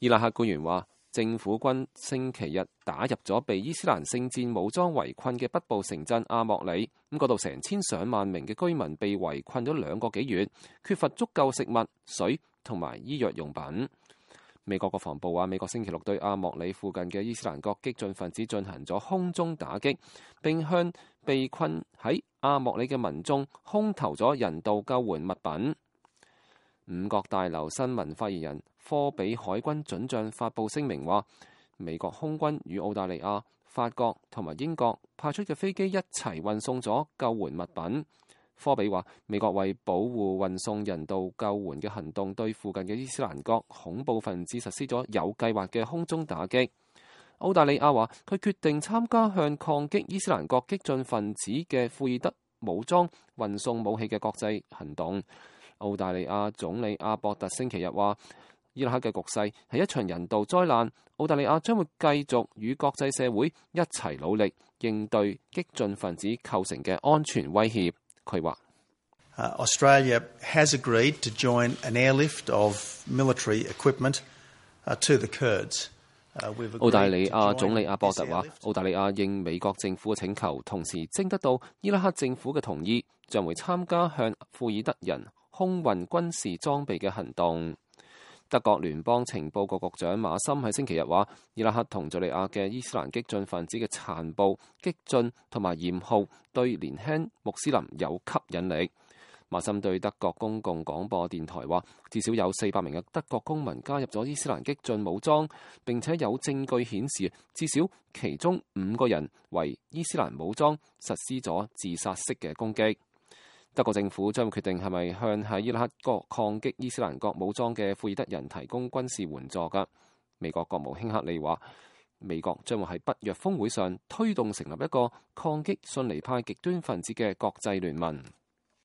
伊拉克官員話，政府軍星期日打入咗被伊斯蘭聖戰武裝圍困嘅北部城鎮阿莫里，嗰度成千上萬名嘅居民被圍困咗2個幾月，缺乏足夠食物、水同埋醫藥用品。美國國防部話，美國星期六對阿莫里附近嘅伊斯蘭國激進分子進行咗空中打擊，並向被困喺阿莫里嘅民眾空投咗人道救援物品。五角大樓新聞發言人科比海軍准將發布聲明話，美國空軍與澳大利亞、法國同埋英國派出嘅飛機一齊運送咗救援物品。科比話，美國為保護運送人道救援嘅行動，對附近嘅伊斯蘭國恐怖分子實施咗有計劃嘅空中打擊。澳大利亞話，佢決定參加向抗擊伊斯蘭國激進分子嘅庫爾德武裝運送武器嘅國際行動。澳大利亞總理阿博特星期日話，伊拉克嘅局勢係一場人道災難，澳大利亞將會繼續與國際社會一齊努力應對激進分子構成嘅安全威脅。佢話：Australia has agreed to join an airlift of military equipment to the Kurds。澳大利亞總理阿博特話，澳大利亞應美國政府嘅請求，同時徵得到伊拉克政府嘅同意，將會參加向庫爾德人空運軍事裝備嘅行動。德國聯邦情報局局長馬森喺星期日話，伊拉克同敘利亞嘅伊斯蘭激進分子嘅殘暴、激進同埋嚴酷，對年輕穆斯林有吸引力。馬森對德國公共廣播電台話，至少有400名嘅德國公民加入咗伊斯蘭激進武裝，並且有證據顯示，至少其中5個人為伊斯蘭武裝實施咗自殺式嘅攻擊。德國政府將會決定係咪向喺伊拉克抗擊伊斯蘭國武裝嘅庫爾德人提供軍事援助㗎。美國國務卿克利話，美國將會喺北約峰會上推動成立一個抗擊遜尼派極端分子嘅國際聯盟。